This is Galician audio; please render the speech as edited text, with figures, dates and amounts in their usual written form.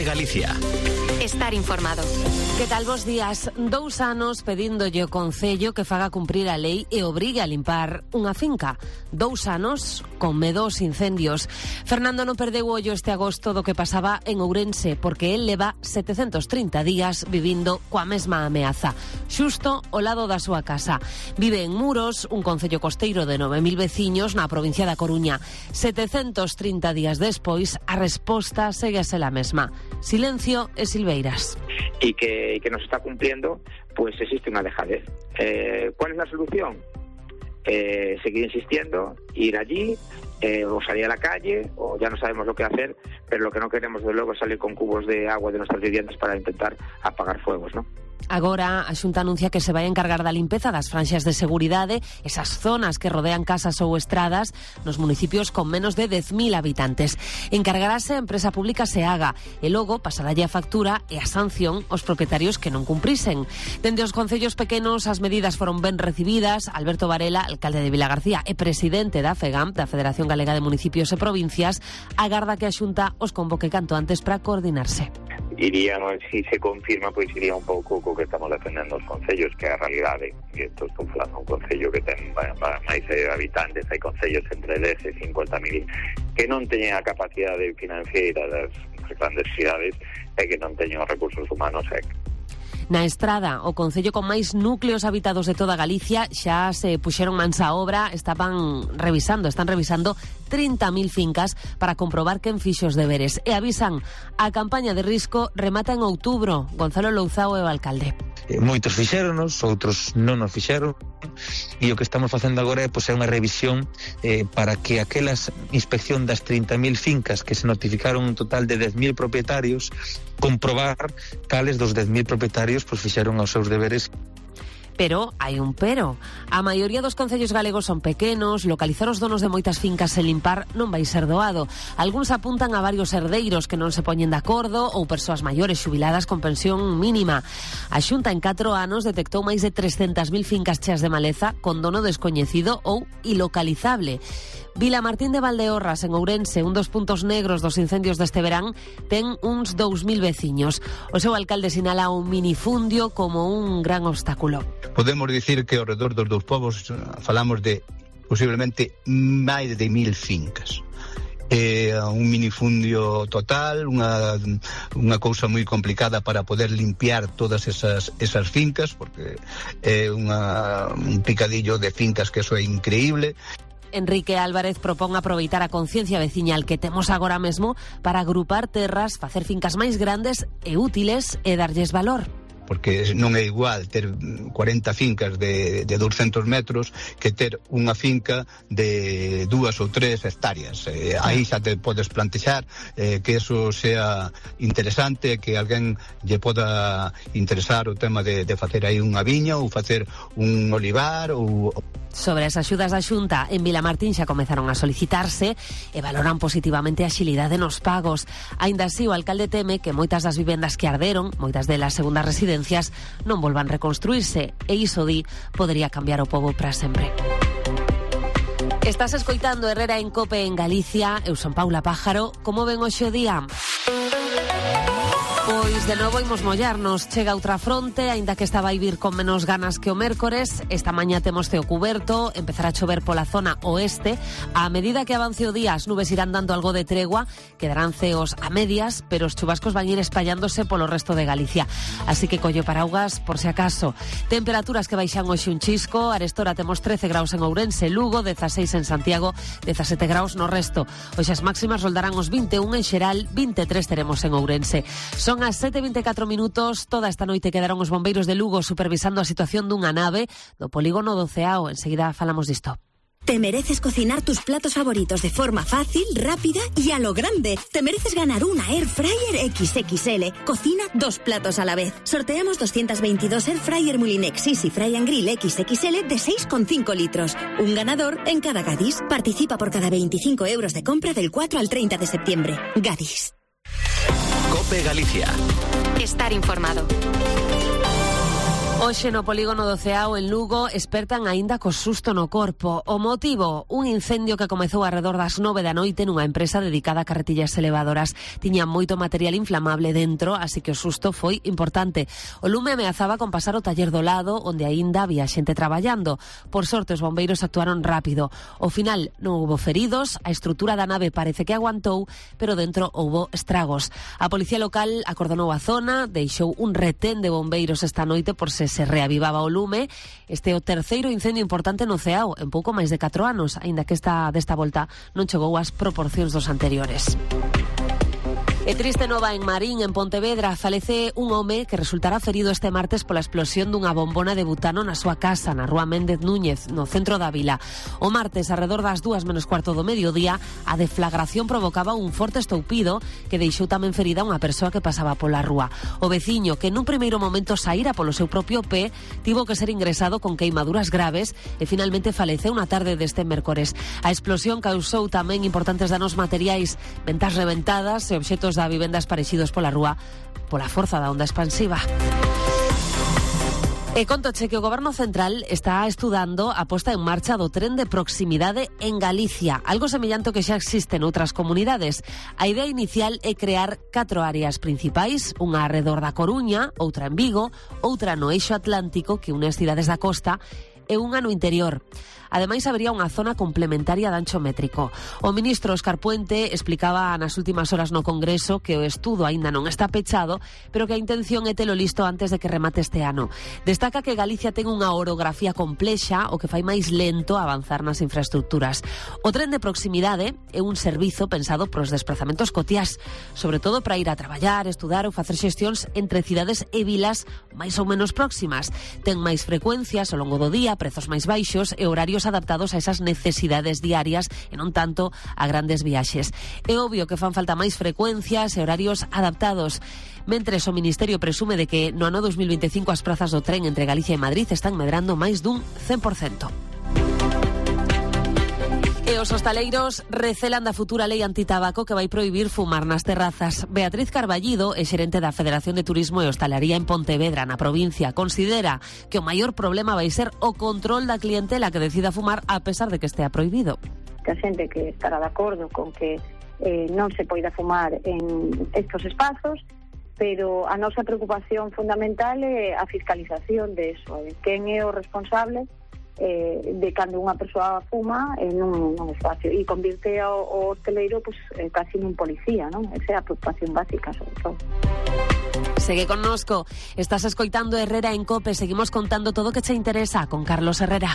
Galicia. Estar informado. Que tal, bos días? 2 anos pedíndolle ao Concello que faga cumprir a lei e obrigue a limpar unha finca. 2 anos con medo aos incendios. Fernando non perdeu ollo este agosto do que pasaba en Ourense, porque el leva 730 días vivindo coa mesma ameaza, xusto ao lado da súa casa. Vive en Muros, un concello costeiro de 9.000 veciños na provincia da Coruña. 730 días despois, a resposta segue a ser a mesma. Silencio e silveiras. Y que nos está cumpliendo, pues existe una dejadez. ¿Cuál es la solución? Seguir insistiendo, ir allí, o salir a la calle, o ya no sabemos lo que hacer, pero lo que no queremos de luego es salir con cubos de agua de nuestras viviendas para intentar apagar fuegos, ¿no? Agora, a Xunta anuncia que se vai encargar da limpeza das franxas de seguridade, esas zonas que rodean casas ou estradas nos municipios con menos de 10.000 habitantes. Encargarase a empresa pública SEAGA e logo pasará a factura e a sanción aos propietarios que non cumprisen. Dende os concellos pequenos as medidas foron ben recibidas. Alberto Varela, alcalde de Vilagarcía e presidente da FEGAM, da Federación Galega de Municipios e Provincias, agarda que a Xunta os convoque canto antes para coordinarse. Iríamos, se se confirma, pois iría un pouco co que estamos defendendo os concellos, que é a realidade. E isto estou falando un concello que ten máis habitantes, hai concellos entre 10 e 50.000 que non teñen a capacidade financiera das grandes cidades e que non teñen os recursos humanos. Na Estrada, o concello con máis núcleos habitados de toda Galicia, xa se puxeron mans á obra, están revisando 30.000 fincas para comprobar quen fixo os deberes. E avisan, a campaña de risco remata en outubro. Gonzalo Louzao é o alcalde. Moitos fixéronos, outros non nos fixeron, e o que estamos facendo agora é unha revisión para que aquelas inspección das 30.000 fincas que se notificaron un total de 10.000 propietarios, comprobar cales dos 10.000 propietarios fixeron os seus deberes. Pero hai un pero. A maioría dos concellos galegos son pequenos, localizar os donos de moitas fincas e limpar non vai ser doado. Algúns apuntan a varios herdeiros que non se poñen de acordo ou persoas maiores xubiladas con pensión mínima. A Xunta en 4 anos detectou máis de 300.000 fincas cheas de maleza con dono descoñecido ou ilocalizable. Vilamartín de Valdeorras, en Ourense, un dos puntos negros dos incendios deste verán, ten uns 2.000 veciños. O seu alcalde sinala un minifundio como un gran obstáculo. Podemos dicir que ao redor dos dous povos falamos de posiblemente máis de 1.000 fincas. Un minifundio total, unha cousa moi complicada para poder limpiar todas esas fincas, porque é un picadillo de fincas que eso é increíble. Enrique Álvarez propón aproveitar a conciencia veciñal que temos agora mesmo para agrupar terras, facer fincas máis grandes e útiles e darlles valor. Porque non é igual ter 40 fincas de 200 metros que ter unha finca de 2 ou 3 hectáreas. Aí xa te podes plantexar que eso sea interesante, que alguén lle poda interesar o tema de facer aí unha viña ou facer un olivar ou... Sobre as axudas da Xunta, en Vilamartín xa comezaron a solicitarse e valoran positivamente a axilidade nos pagos. Aínda así, o alcalde teme que moitas das vivendas que arderon, moitas delas segundas residencias, non volvan reconstruirse, e iso di podería cambiar o pobo para sempre. Estás escoitando Herrera en Cope en Galicia. Eu son Paula Pájaro. Como ven hoxe o día? Pois de novo imos mollarnos. Chega outra fronte, aínda que esta vai vir con menos ganas que o mércores. Esta mañá temos ceo cuberto, empezará a chover pola zona oeste. A medida que avance o día, as nubes irán dando algo de tregua, quedarán ceos a medias, pero os chubascos van ir espallándose polo resto de Galicia. Así que colle paraugas por si acaso. Temperaturas que baixan hoxe un chisco. Arestora temos 13 graus en Ourense, Lugo, 16 en Santiago, 17 graus no resto. Hoxe as máximas roldarán os 21 en Xeral, 23 teremos en Ourense. Son as 7:24 minutos. Toda esta noite quedaron os bombeiros de Lugo supervisando a situación dunha nave do polígono do Ceao. Enseguida falamos disto. Te mereces cocinar tus platos favoritos de forma fácil, rápida y a lo grande. Te mereces ganar una Air Fryer XXL. Cocina 2 platos a la vez. Sorteamos 222 Air Fryer Mulinex Easy Fry and Grill XXL de 6,5 litros. Un ganador en cada Gadis. Participa por cada 25 euros de compra del 4 al 30 de septiembre. Gadis. Cope Galicia. Estar informado. Hoxe no polígono do Ceao en Lugo espertan aínda co susto no corpo. O motivo, un incendio que comezou arredor das 9 da noite nunha empresa dedicada a carretillas elevadoras. Tiña moito material inflamable dentro, así que o susto foi importante. O lume ameazaba con pasar o taller do lado, onde aínda había xente traballando. Por sorte, os bombeiros actuaron rápido. Ao final non houbo feridos, a estrutura da nave parece que aguantou, pero dentro houbo estragos. A policía local acordou a zona, deixou un retén de bombeiros esta noite por se reavivaba o lume. Este é o terceiro incendio importante no Ceao en pouco máis de 4 anos, aínda que desta volta non chegou ás proporcións dos anteriores. E triste nova en Marín, en Pontevedra. Falece un home que resultará ferido este martes pola explosión dunha bombona de butano na súa casa, na rúa Méndez Núñez, no centro da vila. O martes, arredor das 2:15 do mediodía, a deflagración provocaba un forte estoupido que deixou tamén ferida unha persoa que pasaba pola rúa. O veciño, que nun primeiro momento saíra polo seu propio pé, tivo que ser ingresado con queimaduras graves e finalmente faleceu na tarde deste mércores. A explosión causou tamén importantes danos materiais, ventas reventadas e obxetos da vivendas parexidos pola rúa pola forza da onda expansiva. E contoche que o Goberno Central está estudando a posta en marcha do tren de proximidade en Galicia, algo semellante que xa existe noutras comunidades. A idea inicial é crear 4 áreas principais, unha arredor da Coruña, outra en Vigo, outra no eixo atlántico que une as cidades da costa e unha no interior. Ademais, habería unha zona complementaria de ancho métrico. O ministro Óscar Puente explicaba nas últimas horas no Congreso que o estudo aínda non está pechado, pero que a intención é telo listo antes de que remate este ano. Destaca que Galicia ten unha orografía complexa, o que fai máis lento avanzar nas infraestructuras. O tren de proximidade é un servizo pensado pros desplazamentos cotiás, sobre todo para ir a traballar, estudar ou facer xestións entre cidades e vilas máis ou menos próximas. Ten máis frecuencias ao longo do día, prezos máis baixos e horarios adaptados a esas necesidades diarias e non tanto a grandes viaxes. É obvio que fan falta máis frecuencias e horarios adaptados. Mentres o Ministerio presume de que no ano 2025 as prazas do tren entre Galicia e Madrid están medrando máis dun 100%. E os hostaleiros recelan da futura lei antitabaco que vai prohibir fumar nas terrazas. Beatriz Carballido é xerente da Federación de Turismo e Hostalería en Pontevedra, na provincia. Considera que o maior problema vai ser o control da clientela que decida fumar a pesar de que estea prohibido. Que a xente que estará de acordo con que non se poida fumar en estos espazos, pero a nosa preocupación fundamental é a fiscalización de eso, quen é o responsable de cando unha persoa fuma en un espacio e convirte o hosteleiro casi nun policía, non? Esa é a preocupación básica, sobre todo. Segue connosco, estás escoitando Herrera en COPE, seguimos contando todo o que che interesa con Carlos Herrera.